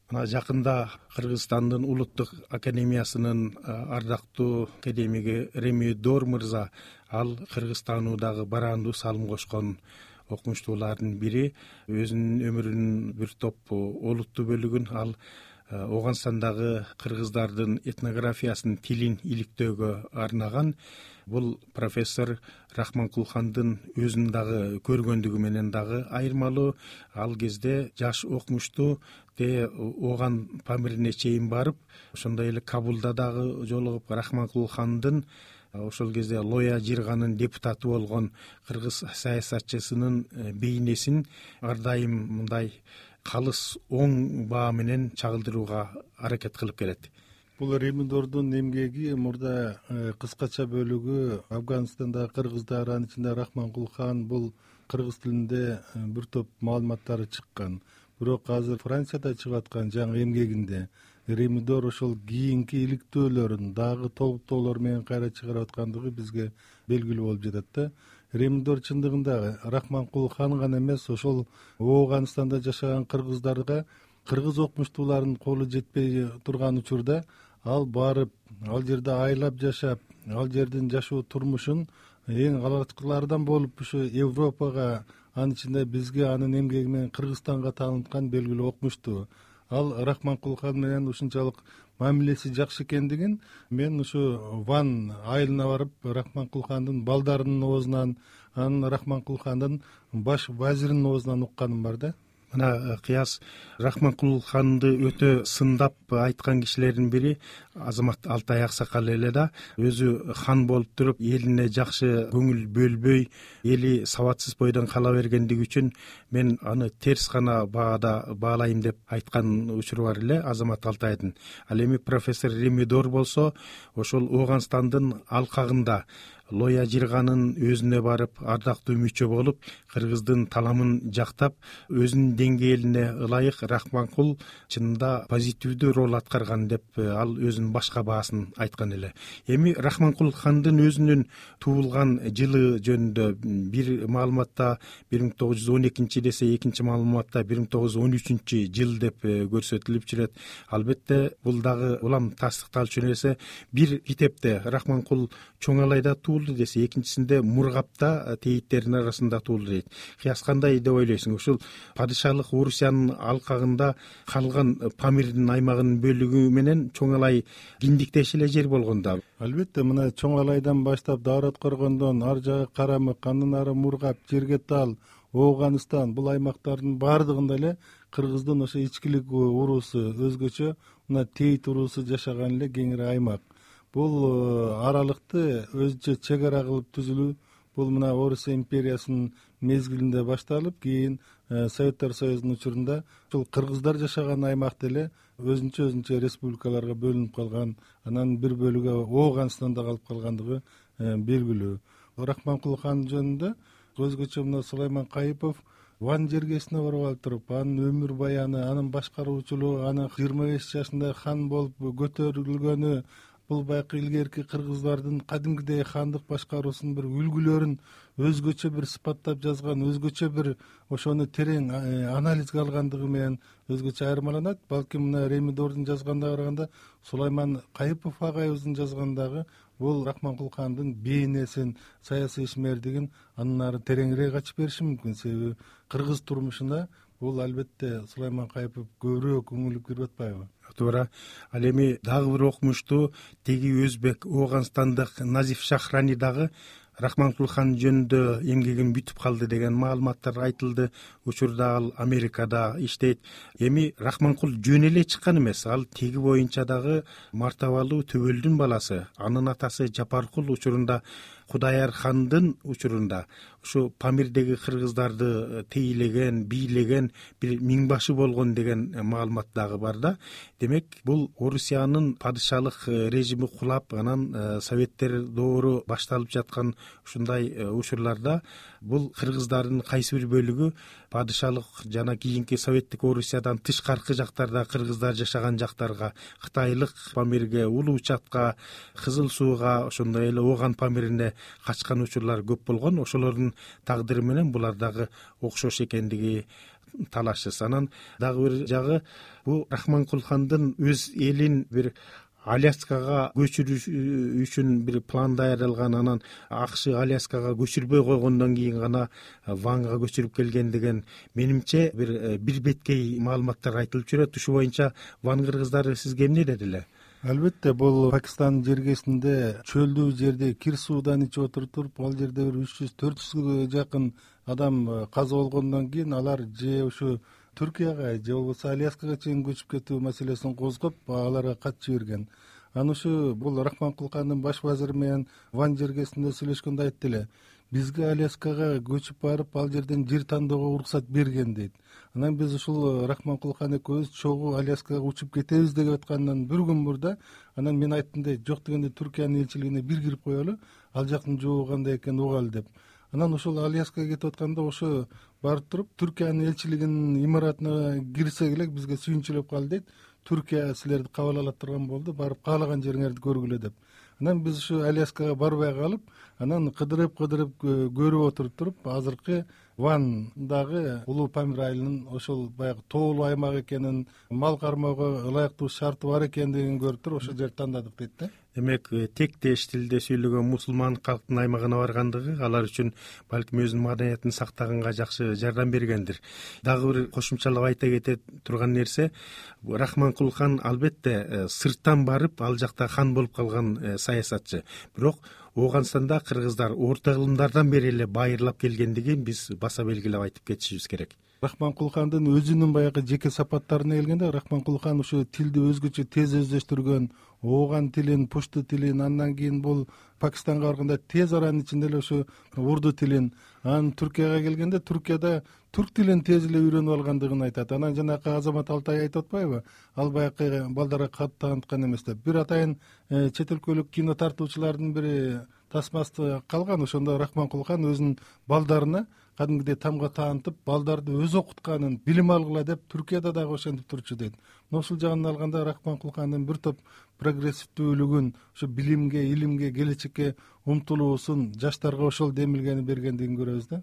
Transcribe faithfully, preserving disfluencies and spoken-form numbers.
Мына жакында Кыргызстандын улуттук академиясынын ардактуу академиги Ремидор мырза ал Кыргызстануудагы бараандуу салым кошкон окумуштуулардын бири. Өзүнүн өмүрүнүн бир топ олуттуу бөлүгүн ал Ооганстандагы кыргыздардын этнографиясын, тилин иликтөөгө арнаган. Бул профессор Рахманкулхандын өзүн дагы көргөндүгү менен дагы айырмалуу. Ал кезде жаш окумуштуу те Ооган Памирине чейин барып, ошондой эле Кабулда дагы жолугуп, Рахманкулхандын ошол кезде Лоя Жирганын депутаты болгон кыргыз саясатчысынын бейнесин ар дайым мындай калыс оң баа менен чагылдырууга аракет кылып келет. Бул Ремидордун эмгеги мурда кыскача бөлүгү Афганстандагы кыргыздар, анын ичинде Рахманкулхан, бул кыргыз тилинде бир топ маалыматтары чыккан. Бирок азыр Францияда чыгып аткан жаңы эмгегинде Ремидор ошол кийинки иликтөөлөрүн дагы толуктоолор менен кайра чыгарып аткандыгы бизге белгилүү болуп жатат да. Ремидор чындыгында Рахманкулхан гана эмес, ошол Ооганстанда жашаган кыргыздарга, кыргыз окумуштуулардын колу жетпей турган учурда ал барып, ал жерде айлап жашап, ал жердин жашоо турмушун эң алгачкылардан болуп ушу Европага, анын ичинде бизге анын эмгеги менен Кыргызстанга тааныткан белгилүү окумуштуу. Ал Рахманкулхан менен ушунчалык мамилеси жакшы экендигин мен ушу Ван айылына барып, Рахманкулхандын балдарынын оозунан, анын Рахманкулхандын баш вазиринин оозунан укканым бар да. Мына Кыяз Рахманкулханды өтө сындап айткан кишилердин бири Азамат Алтай аксакал эле да. Өзү хан болуп туруп, элине жакшы көңүл бөлбөй, эли сабатсыз бойдон кала бергендиги үчүн мен аны терс гана баада баалайм деп айткан учуру бар эле Азамат Алтайдын. Ал эми профессор Ремидор болсо ошол Ооганстандын алкагында Лоя Жирганын өзүнө барып, ардактуу мүчө болуп, кыргыздын таламын жактап, өзүнүн деңгээлине ылайык Рахманкул чынында позитивдүү роль аткарган деп ал өзүнүн башка баасын айткан эле. Эми Рахманкулхандын өзүнүн туулган жылы жөнүндө бир маалыматта бир миң тогуз жүз он экинчи десе, экинчи маалыматта бир миң тогуз жүз он үчүнчү жыл деп көрсөтүлүп жүрөт. Албетте бул дагы улам тастыкталчу нерсе. Бир китепте Рахманкул Чоңалайда туулду десе, экинчисинде Мургапта тейиттердин арасында туулду дейт. Кыяс кандай деп ойлойсуң? Ушул падышалык Орусиянын алкагында калган Памирдин аймагынын бөлүгү менен Чоңалай киндиктеш эле жер болгондо. Албетте, мына Чоңалайдан баштап Дарат Коргондон ар жагы Карамык, андан ары Мургап, Жергетал, Ооганстан, бул аймактардын баардыгында эле кыргыздын ошо ичкилик уруусу өзгөчө, мына Тейит уруусу жашаган эле кеңири аймак. Бул аралыкты өзүнчө чек ара кылып түзүлүү, бул мына Орус империясынын мезгилинде башталып, кийин Советтер Союзунун учурунда ушул кыргыздар жашаган аймакты эле өзүнчө өзүнчө республикаларга бөлүнүп калган, анан бир бөлүгү Ооганстанда калып калгандыгы белгилүү. Рахманкулхан жөнүндө өзгөчө мына Сулайман Кайыпов Ван жергесине барып алып туруп, анын өмүр баяны, анын башкаруучулугу, анын жыйырма беш жашында хан болуп көтөрүлгөнү, бул баягы илгерки кыргыздардын кадимгидей хандык башкаруусунун бир үлгүлөрүн өзгөчө бир сыпаттап жазган, өзгөчө бир ошону терең анализге алгандыгы менен өзгөчө айырмаланат. Балким мына Ремидордун жазганына караганда, Сулайман Кайыпов агайыбыздын жазгандагы бул Рахманкулхандын бейнесин, саясий ишмердигин андан ары тереңирээк ачып бериши мүмкүн. Себеби кыргыз турмушуна бул албетте Сулайман Кайыпов көбүрөөк үңүлүп кирип атпайбы? Туура. Ал эми дагы бир окумуштуу теги өзбек Ооганстандык Назиф Шахрани дагы Рахманкулхан жөнүндө эмгегин бүтүп калды деген маалыматтар айтылды. Учурда ал Америкада иштейт. Эми Рахманкул жөн эле чыккан эмес, ал теги боюнча дагы мартабалуу төбөлдүн баласы. Анын атасы Жапаркул учурунда Кудаяр хандын учурунда ушу Памирдеги кыргыздарды тейлеген, бийлеген бир миңбашы болгон деген маалымат дагы бар да. Демек, бул Орусиянын падышалык режими кулап, анан Советтер доору башталып жаткан ушундай учурларда бул кыргыздардын кайсы бир бөлүгү падышалык жана кийинки Советтик Орусиядан тышкаркы жактарда кыргыздар жашаган жактарга, Кытайлык Памирге, Улуу Чатка, Кызыл Сууга, ошондой эле Ооган Памирине качкан учурлар көп болгон. Ошолордун тагдыры менен булар дагы окшош экендиги талашсыз. Анан дагы бир жагы, бул Рахманкулхандын өз элин бир Аляскага көчүрүш үчүн бир план даярдалган, анан АКШ Аляскага көчүрбөй койгондон кийин гана Ванга көчүрүп келген деген менимче бир бир беткей маалыматтар айтылып жүрөт. Ушу боюнча Ван кыргыздары сизге эмне деди эле? Албетте, бул Пакистандын жергесинде чөлдүү жерде кир суудан ичип отуруп, ал жерде бир үч жүз төрт жүзгө жакын адам каза болгондон кийин алар же ушу Түркияга же болбосо Аляскага чейин көчүп кетүү маселесин козгоп, аларга кат жиберген. Анан ушу бул Рахманкулхандын баш вазири менен Ван жергесинде сүйлөшкөндө айтты эле, бизге Аляскага көчүп барып, ал жерден жер тандоого уруксат берген дейт. Анан биз ушул Рахманкулхан экөөбүз чогуу Аляскага учуп кетебиз деп аткандан бир күн мурда, анан мен айттым дейт, жок дегенде Түркиянын элчилигине бир кирип коелу, ал жактын жообу кандай экенин угалы деп. Анан ушул Аляскага кетип атканда ошо барып туруп Түркиянын элчилигинин имаратына кирсек эле бизге сүйүнчүлөп калды дейт. Түркия силерди кабыл ала турган болду, барып каалаган жериңерди көргүлө деп. Анан биз ушу Аляскага барбай калып, анан кыдырып-кыдырып көрүп отуруп туруп, азыркы Вандагы Улуу Памир айылынын ошол баягы тоолуу аймак экенин, мал кармоого ылайыктуу шарты бар экендигин көрүп туруп ошол жерди тандадык дейт да. Демек, тектеш тилде сүйлөгөн мусулман калктын аймагына баргандыгы алар үчүн балким өзүнүн маданиятын сактаганга жакшы жардам бергендир. Дагы бир кошумчалап айта кете турган нерсе, Рахманкулхан албетте сырттан барып, ал жакта хан болуп калган саясатчы. Бирок Ооганстанда кыргыздар орто кылымдардан бери эле байырлап келгендигин биз баса белгилеп айтып кетишибиз керек. Рахманкулхандын өзүнүн баягы жеке сапаттарына келгенде, Рахманкулхан ушу тилди өзгөчө тез өздөштүргөн, ооган тилин, пушту тилин, андан кийин бул Пакистанга барганда тез аранын ичинде эле ушу урду тилин, анан Түркияга келгенде Түркияда түрк тилин тез эле үйрөнүп алгандыгын айтат. Анан жанакы Азамат Алтай айтып атпайбы, ал баягы балдарга кат тааныткан эмес деп. Бир атайын чет өлкөлүк кино тартуучулардын бири тасмасы калган, ошондо Рахманкулхан өзүнүн балдарына кадимгидей тамга таанытып, балдарды өзү окутканын, билим алгыла деп Түркияда дагы ошентип турчу дейт. Ошол жагынан алганда Рахманкулхандын бир топ прогрессивдүүлүгүн, ошо билимге, илимге, келечекке умтулуусун, жаштарга ошол демилгени бергендигин көрөбүз да.